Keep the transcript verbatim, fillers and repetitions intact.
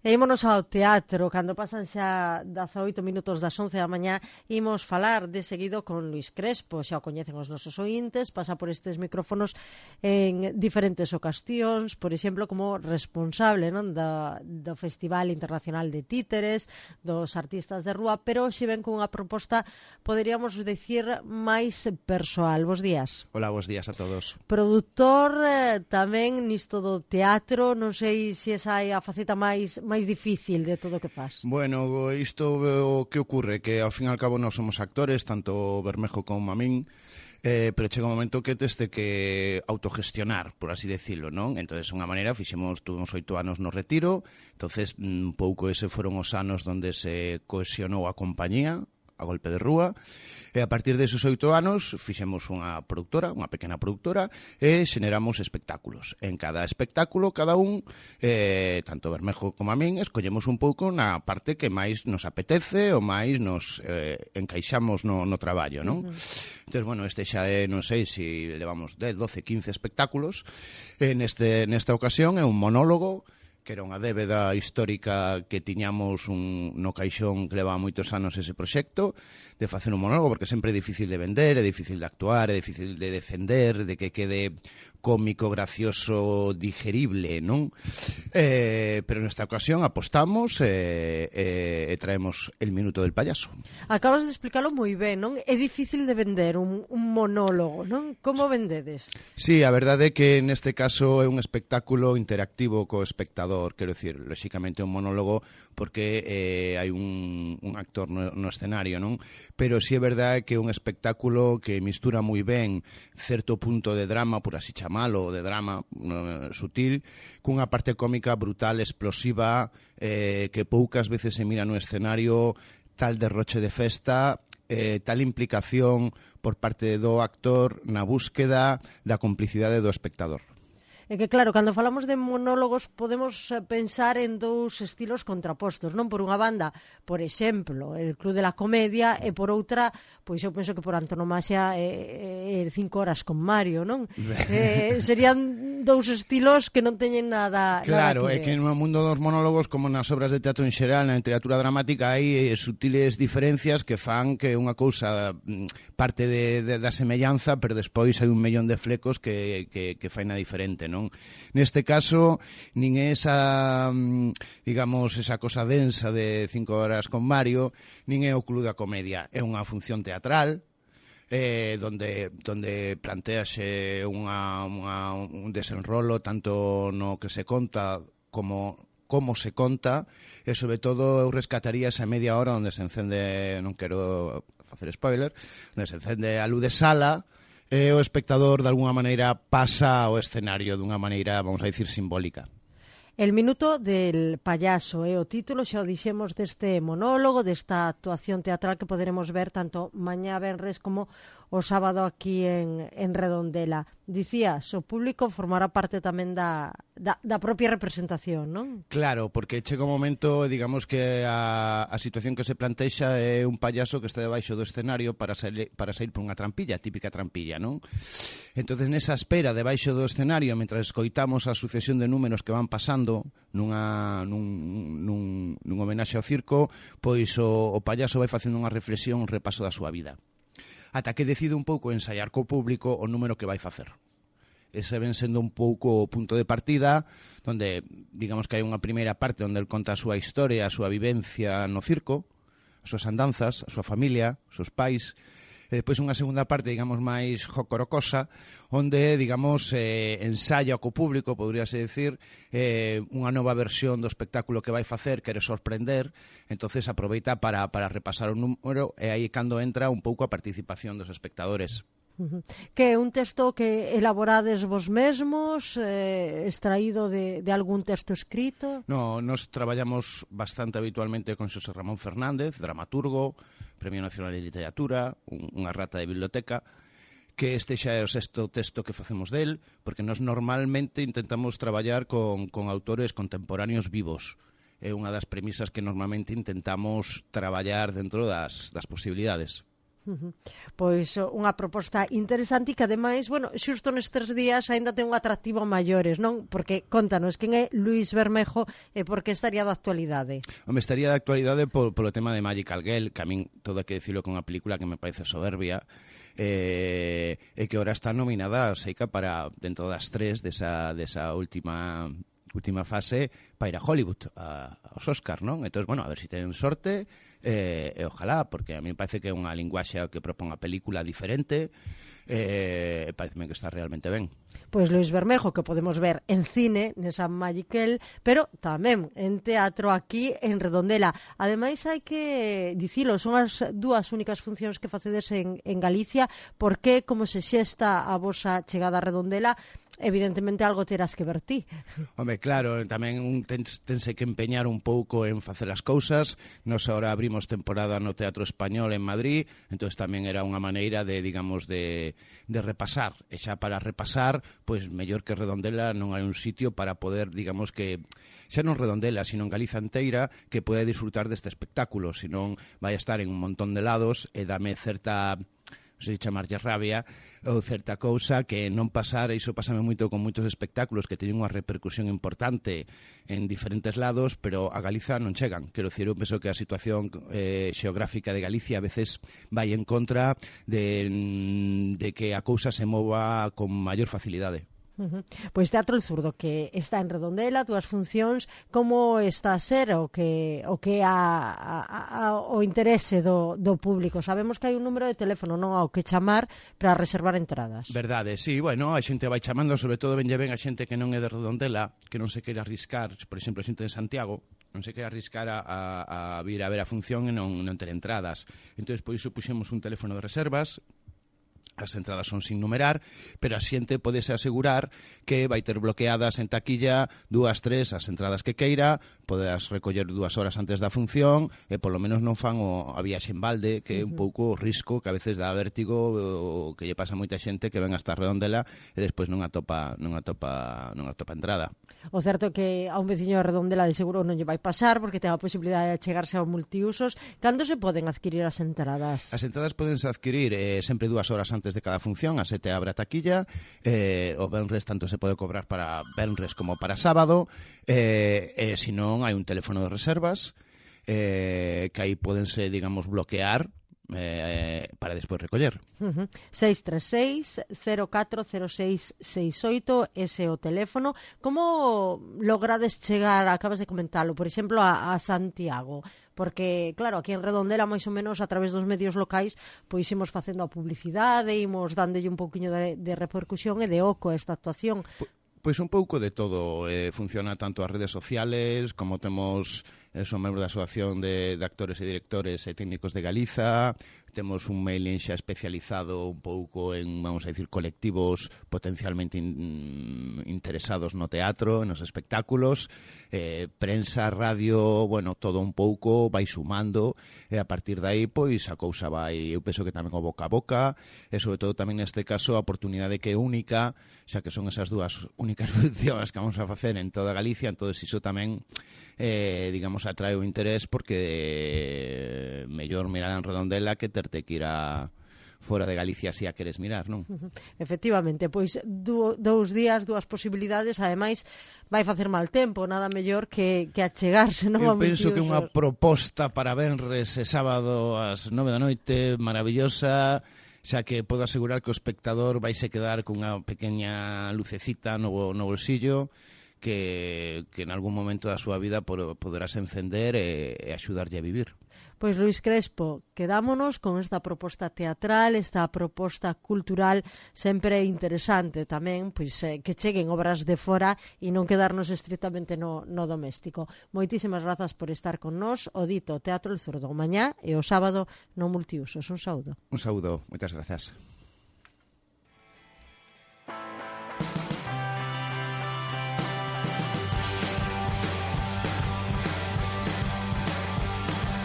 E ímonos ao teatro, cando pasan xa dezaoito minutos das once da mañá, imos falar de seguido con Luís Crespo, xa o coñecen os nosos ointes, pasa por estes micrófonos en diferentes ocasións, por exemplo, como responsable, non, do, do Festival Internacional de Títeres, dos artistas de rúa, pero hoxe ven con unha proposta, poderíamos dicir, máis persoal. Bos días. Hola, bos días a todos. Produtor eh, tamén nisto do teatro, non sei se esa é a faceta máis máis difícil de todo o que faz. Bueno, isto o que ocurre, que ao fin e al cabo nós somos actores, tanto Bermejo como a min, eh, pero chega un momento que tes de que autogestionar, por así decirlo, non? Entonces, unha maneira, fixemos, tuvemos oito anos no retiro, entonces, un pouco ese foron os anos onde se cohesionou a compañía, a golpe de rúa, e a partir desos oito anos fixemos unha productora, unha pequena productora, e xeneramos espectáculos. En cada espectáculo, cada un, eh, tanto Bermejo como a min, escollemos un pouco na parte que máis nos apetece ou máis nos eh, encaixamos no, no traballo, non? Uh-huh. Entón, bueno, este xa é, non sei, se levamos dez, doce, quince espectáculos. En este, nesta ocasión é un monólogo, que era unha débeda histórica que tiñamos un, no caixón que leva moitos anos ese proxecto, de facer un monólogo, porque sempre é difícil de vender, é difícil de actuar, é difícil de defender, de que quede cómico, gracioso, digerible, non? Eh, pero nesta ocasión apostamos e eh, eh, traemos El minuto del payaso. Acabas de explicarlo moi ben, non? É difícil de vender un, un monólogo, non? Como vendedes? Sí, a verdade é que neste caso é un espectáculo interactivo co espectador, quero dicir, lóxicamente un monólogo porque eh, hai un, un actor no, no escenario, non? Pero sí é verdade que é un espectáculo que mistura moi ben certo punto de drama, por así chamalo, de drama no, sutil, cunha parte cómica brutal, explosiva, eh, que poucas veces se mira no escenario, tal derroche de festa, eh, tal implicación por parte do actor na búsqueda da complicidade do espectador. É que, claro, cando falamos de monólogos podemos pensar en dous estilos contrapostos, non? Por unha banda, por exemplo, el Club de la Comedia, e por outra, pois eu penso que por antonomasia é, é cinco horas con Mario, non? eh, serían dous estilos que non teñen nada, claro, nada que ver. É que no mundo dos monólogos, como nas obras de teatro en xeral, na literatura dramática, hai sutiles diferencias que fan que unha cousa parte de, de, da semellanza, pero despois hai un millón de flecos que, que, que fai na diferente, non? Neste caso, nin é esa, digamos, esa cosa densa de cinco horas con Mario, nin é o Club da Comedia. É unha función teatral, eh, donde, donde plantease unha, unha, un desenrolo tanto no que se conta como como se conta, e sobre todo eu rescataría esa media hora onde se encende, non quero facer spoiler, onde se encende a luz de sala, e o espectador, de alguna maneira, pasa ao escenario dunha maneira, vamos a dicir, simbólica. El minuto del payaso é o título, xa o dixemos, deste monólogo, desta actuación teatral que poderemos ver tanto mañá venres como o sábado aquí en, en Redondela. Dicías, o público formará parte tamén da, da, da propia representación, non? Claro, porque chega un momento, digamos que a, a situación que se plantexa é un payaso que está debaixo do escenario para sair, para sair por unha trampilla, típica trampilla, non? Entonces, nesa espera debaixo do escenario, mentre escoitamos a sucesión de números que van pasando nunha, nun, nun, nun homenaxe ao circo, pois o, o payaso vai facendo unha reflexión, un repaso da súa vida, ata que decide un pouco ensaiar co público o número que vai facer. Ese ven sendo un pouco o punto de partida, onde, digamos que hai unha primeira parte onde el conta a súa historia, a súa vivencia no circo, as súas andanzas, a súa familia, os seus pais, e depois unha segunda parte, digamos, máis jocorocosa, onde, digamos, eh, ensaya co público, poderíase decir, eh, unha nova versión do espectáculo que vai facer, quere sorprender, entonces aproveita para, para repasar o número, e aí cando entra un pouco a participación dos espectadores. Uh-huh. Que é un texto que elaborades vos mesmos, eh, extraído de, de algún texto escrito? No, nos traballamos bastante habitualmente con Xosé Ramón Fernández, dramaturgo, Premio Nacional de Literatura, un, unha rata de biblioteca, que este xa é o sexto texto que facemos del, porque nos normalmente intentamos traballar con, con autores contemporáneos vivos. É unha das premisas que normalmente intentamos traballar dentro das, das posibilidades. Uh-huh. Pois unha proposta interesante e que ademais, bueno, xusto nestes días aínda ten un atractivo maiores, non? Porque contanos quen é Luís Bermejo e por que estaría de actualidade. Home, estaría de actualidade por, polo tema de Magical Girl, que a min todo hai que decirlo con unha película que me parece soberbia, eh, e que ahora está nominada a Seica para dentro das tres desa, desa última última fase para ir a Hollywood, a, aos Oscar, non? Entón, bueno, a ver se si ten sorte, eh, e ojalá, porque a mí me parece que é unha linguaxe que propón a película diferente, e eh, pareceme que está realmente ben. Pois Luís Bermejo, que podemos ver en cine, nesa Magical, pero tamén en teatro aquí en Redondela. Ademais, hai que dicilo, son as dúas únicas funcións que facedes en, en Galicia, porque como se xesta a vosa chegada a Redondela, evidentemente algo terás que ver ti. Home, claro, tamén un tens, tense que empeñar un pouco en facer as cousas. Nos ahora abrimos temporada no Teatro Español en Madrid, entón tamén era unha maneira de, digamos, de, de repasar. E xa para repasar, pois mellor que Redondela non hai un sitio para poder, digamos que, xa non Redondela, sino en Galiza inteira, que poida disfrutar deste espectáculo, senón vai a estar en un montón de lados e dame certa... non sei chamarlle rabia, ou certa cousa que non pasar, iso pásame moito con moitos espectáculos que teñen unha repercusión importante en diferentes lados, pero a Galiza non chegan. Quero dicir, eu penso que a situación eh, xeográfica de Galicia a veces vai en contra de, de que a cousa se mova con maior facilidade. Uh-huh. Pois Teatro El Zurdo, que está en Redondela, túas funcións, como está a ser o que o que a, a, a, o interese do, do público? Sabemos que hai un número de teléfono, non, ao que chamar para reservar entradas. Verdade, sí, bueno, a xente vai chamando, sobre todo venlle ben a xente que non é de Redondela, que non se quere arriscar, por exemplo, a xente de Santiago, non se quere arriscar a, a, a vir a ver a función e non, non ter entradas. Entón, por iso puxemos un teléfono de reservas. As entradas son sin numerar, pero a xente podese asegurar que vai ter bloqueadas en taquilla dúas, tres, as entradas que queira, poderás recoller dúas horas antes da función e polo menos non fan o, a viaxe en balde, que é un pouco o risco que a veces dá vértigo o que lle pasa a moita xente que ven hasta Redondela e despois non atopa, non atopa, non atopa entrada. O certo é que a un veciño de Redondela de seguro non lle vai pasar porque ten a posibilidade de chegarse aos multiusos. Cando se poden adquirir as entradas? As entradas podense adquirir eh, sempre dúas horas antes de cada función, a sete abre a taquilla, eh, o venres tanto se pode cobrar para venres como para sábado, eh, e se non hai un teléfono de reservas eh, que aí podense, digamos, bloquear eh, para despois recoller. Uh-huh. seis tres seis, cero catro cero seis seis oito, ese é o teléfono. Como logrades chegar, acabas de comentalo, por exemplo, a, a Santiago? Porque, claro, aquí en Redondela, máis ou menos, a través dos medios locais, pois imos facendo a publicidade, imos dándolle un pouquiño de, de repercusión e de oco a esta actuación. Pois un pouco de todo. Eh, funciona tanto as redes sociales, como temos, eh, son membro da Asociación de, de Actores e Directores e Técnicos de Galiza, temos un mailing xa especializado un pouco en, vamos a dicir, colectivos potencialmente in, interesados no teatro, nos espectáculos, eh, prensa, radio, bueno, todo un pouco vai sumando e a partir de aí, pois, a cousa vai, eu penso que tamén o boca a boca e sobre todo tamén neste caso a oportunidade que é única, xa que son esas dúas únicas funcións que vamos a facer en toda Galicia, entón iso tamén eh, digamos, atrae o interés porque eh, mellor mirar en Redondela que terte que ir a fora de Galicia se a queres mirar, non? Efectivamente, pois du, dous días, dúas posibilidades, ademais vai facer mal tempo, nada mellor que, que achegarse, non? Eu penso que unha proposta para venres e sábado ás nove da noite maravillosa, xa que podo asegurar que o espectador vai se quedar cunha pequena lucecita no, no bolsillo que, que en algún momento da súa vida poderás encender e, e axudarlle a vivir. Pois Luís Crespo, quedámonos con esta proposta teatral, esta proposta cultural sempre interesante tamén, pois eh, que cheguen obras de fora e non quedarnos estritamente no, no doméstico. Moitísimas grazas por estar con nós, o dito Teatro El Zurdo mañá e o sábado no Multiusos. Un saúdo. Un saúdo, moitas grazas.